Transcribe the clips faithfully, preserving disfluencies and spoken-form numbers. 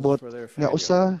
gipasabot for their nga failure. usa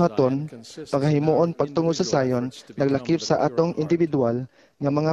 buluhaton Zion consists pagahimuon in our pagtungo sa individual Zion efforts to become naglakip the sa pure atong in heart. individual nga mga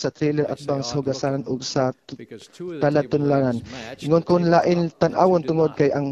sa trailer They atbang say sa hugasanan odd-looking ug sa tu- because two of the table talatunlanan. legs matched Ingon the kon lain tablecloth and two tan-awon did tungod not. kay ang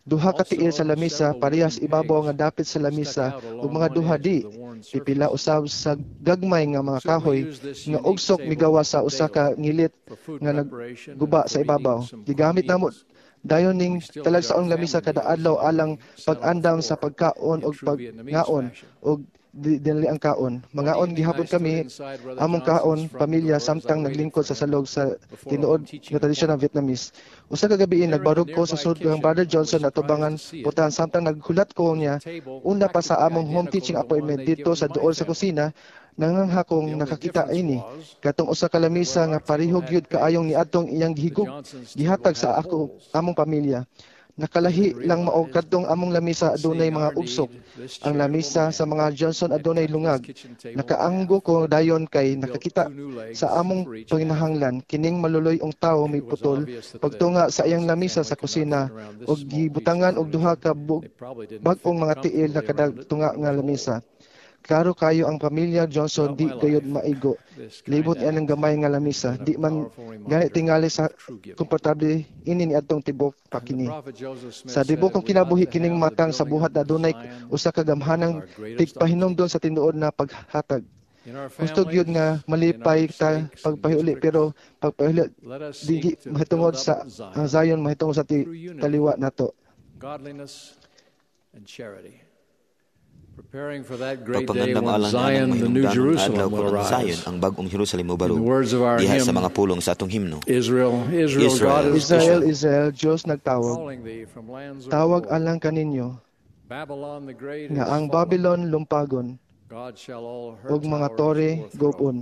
Duha ka tiil Also, sa lamisa several parehas wooden ibabaw pegs nga dapit sa stuck lamisa out ug along mga one duha edge di of the worn pipila surface. usab sa gagmay nga mga Soon we kahoy used this nga unique ugsok table migawas sa usa daily ka ngilit for food nga preparation and nagguba sa for eating ibabaw. some quick Gigamit namo meals. dayon ning We still eat our talagsaong lamisa family kada meals adlaw that alang we set on the pag-andam sa floor pagkaon in og true Vietnamese pagngaon fashion. og di- dinali ang kaon. One Mangaon evening gihapon I stood kami inside Brother among Johnson's kaon front pamilya door as I samtang waited naglingkod for sa him salog sa before a tinuod home teaching nga tradisyon ng appointment. Vietnamese. Usa ka gabi There in the nagbarog ko sa nearby sud kang kitchen, Brother I was Johnson surprised atubangan to see it. putahan samtang naghulat ko The niya table una pa sa practically among home identical teaching to the one appointment they'd didto given sa my duol sa family. kusina nangangha The kong only nakakita difference ini was katong usa ka that lamisa where nga our table pareho had gyud kaayong pegs, niadtong iyang the gihigug Johnson's table gihatag sa had ako holes. among pamilya. Nakalahi And lang mao realized kadtong among lamisa that adunay seeing mga our ugsok. need, this Ang charitable lamisa sa man mga Johnson had adunay cut his lungag. kitchen table in half Nakaanggo ko dayon kay and built nakakita two new legs sa among for each half. panginahanglan kining maluloy-ong tawo It was miputol obvious that the pagtunga sa iyang Johnson lamisa family sa could not kusina fit around this ug small piece of gibutangan og duha furniture. ka bug- They probably didn't bag-ong fit mga tiil na comfortably kada around it tunga when it nga was lamisa. whole. Klaro kayo ang pamilya Johnson Throughout di my gayud life, maigo. this Libot kind anang act gamay nga has lamisa. been a Di man powerful gani reminder tingali sa of true giving. komportable ini niadtong tibok And the pakini. prophet Joseph Smith Sa said tibok kong we ought kinabuhi to kining have the matang sa building buhat of na adunay Zion usa ka as gamhanang our greatest tigpahinumdon object. sa tinuod na paghatag. In our Gusto gyud families, nga in our malipay ta stakes and pagpahiuli districts, pero pagpahiuli let us di seek to build mahitungod up sa ang Zion Zion mahitungod sa ti, through unity, taliwa nato. godliness, and charity. Preparing for that great day Pagpangandam when alang nianang Zion, the New mahinungdanon nga adlaw Jerusalem, will kon ang Zion arise. ang bag-ong Jerusalem In the mobarog words of our diha sa hymn, mga pulong sa atong himno. Israel, Israel, God Israel, is Israel, Israel, Israel, Dios nagtawag. calling thee from lands of Tawag old. alang kaninyo Babylon the great nga is ang fallen. Babylon lumpagon God shall all her ug mga towers tore o'erthrow. gubon.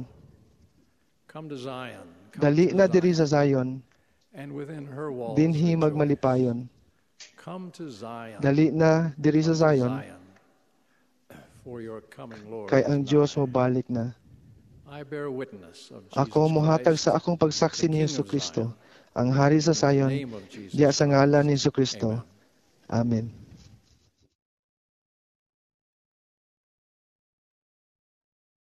Come to Zion, come Dali to na diri Zion, sa Zion, and within her walls dinhi rejoice. magmalipayon. Come to Zion, Dali na diri sa come to Zion Zion, for your coming Lord kay is ang nigh. Dios mobalik na. I bear witness of Ako Jesus mohatag Christ, sa akong pagsaksi the ni King of Hesus Kristo, Zion, ang hari sa in the Zion, name of Jesus diya sa Christ. ngalan ni Hesus Kristo. Amen. Amen.